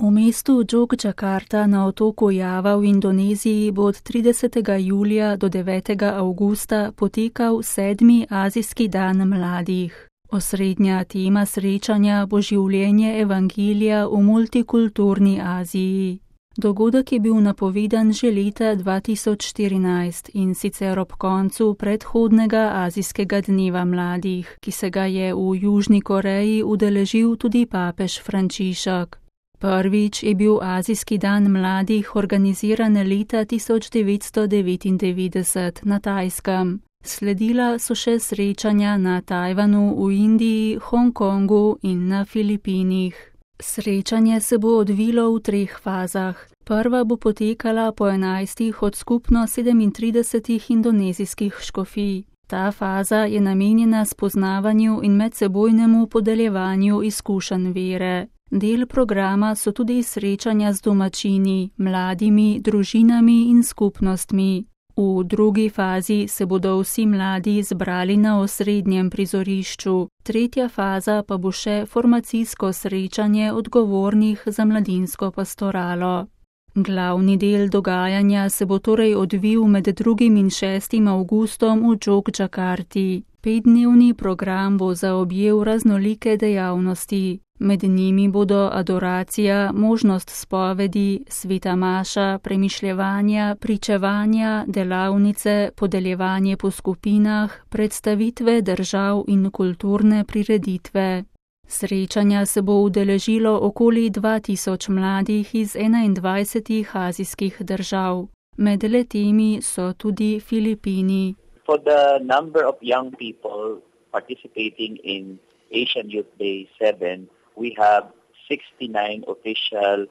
V mestu Jogjakarta na otoku Java v Indoneziji bo od 30. julija do 9. avgusta potekal 7. azijski dan mladih. Osrednja tema srečanja bo življenje evangelija v multikulturni Aziji. Dogodek je bil napovedan že leta 2014 in sicer ob koncu predhodnega azijskega dneva mladih, ki se ga je v Južni Koreji udeležil tudi papež Frančišek. Prvič je bil azijski dan mladih organiziran leta 1999 na Tajskem. Sledila so še srečanja na Tajvanu, v Indiji, Hongkongu in na Filipinih. Srečanje se bo odvilo v 3 fazah. Prva bo potekala po 11 od skupno 37 indonezijskih škofij. Ta faza je namenjena spoznavanju in medsebojnemu podeljevanju izkušenj vere. Del programa so tudi srečanja z domačini, mladimi, družinami in skupnostmi. V drugi fazi se bodo vsi mladi zbrali na osrednjem prizorišču. Tretja faza pa bo še formacijsko srečanje odgovornih za mladinsko pastoralo. Glavni del dogajanja se bo torej odvil med 2. in 6. avgustom v Jogjakarti. 5-dnevni program bo zaobjel raznolike dejavnosti. Med njimi bodo adoracija, možnost spovedi, sveta maša, premišljevanja, pričevanja, delavnice, podeljevanje po skupinah, predstavitve držav in kulturne prireditve. Srečanja se bo udeležilo okoli 2000 mladih iz 21 azijskih držav. Med letemi so tudi Filipini. For the number of young people participating in Asian Youth Day 7, we have 69 official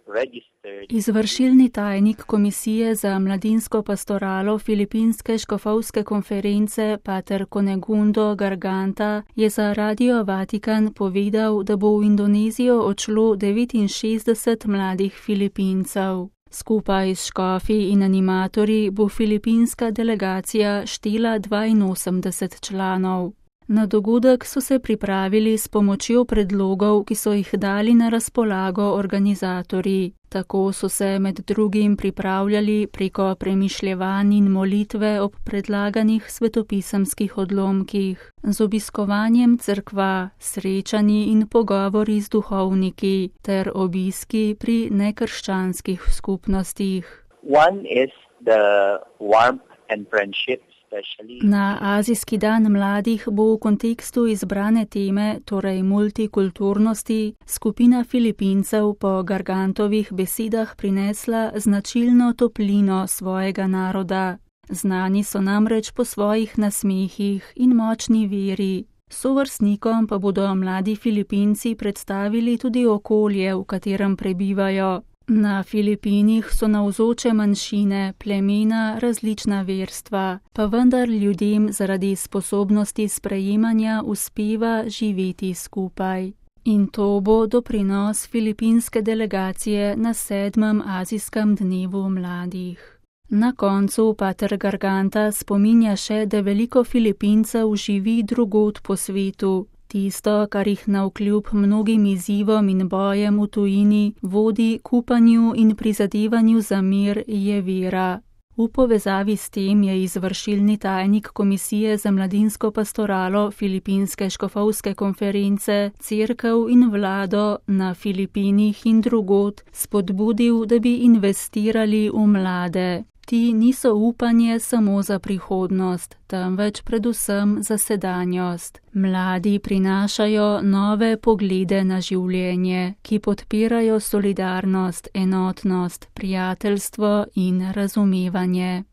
registered. Izvršilni tajnik Komisije za mladinsko pastoralo Filipinske škofovske konference pater Conegundo Garganta je za Radio Vatikan povedal, da bo v Indonezijo odšlo 69 mladih Filipincev. Skupaj s škofi in animatorji bo filipinska delegacija štela 82 članov. Na dogodek so se pripravili s pomočjo predlogov, ki so jih dali na razpolago organizatorji. Tako so se med drugim pripravljali preko premišljevanj in molitve ob predlaganih svetopisemskih odlomkih, z obiskovanjem cerkva, srečanji in pogovori z duhovniki ter obiski pri nekrščanskih skupnostih. One is the warmth and friendship. Na azijski dan mladih bo v kontekstu izbrane teme, torej multikulturnosti, skupina Filipincev po Gargantovih besedah prinesla značilno toplino svojega naroda. Znani so namreč po svojih nasmehih in močni veri. Sovrstnikom pa bodo mladi Filipinci predstavili tudi okolje, v katerem prebivajo. Na Filipinih so navzoče manjšine, plemena, različna verstva, pa vendar ljudem zaradi sposobnosti sprejemanja uspeva živeti skupaj. In to bo doprinos filipinske delegacije na 7. azijskem dnevu mladih. Na koncu pater Garganta spominja še, da veliko Filipincev živi drugod po svetu. Tisto, kar jih navkljub mnogim izzivom in bojem v tujini vodi k upanju in prizadevanju za mir, je vera. V povezavi s tem je izvršilni tajnik Komisije za mladinsko pastoralo Filipinske škofovske konference, cerkev in vlado na Filipinih in drugod spodbudil, da bi investirali v mlade. Ti niso upanje samo za prihodnost, temveč predvsem za sedanjost. Mladi prinašajo nove poglede na življenje, ki podpirajo solidarnost, enotnost, prijateljstvo in razumevanje.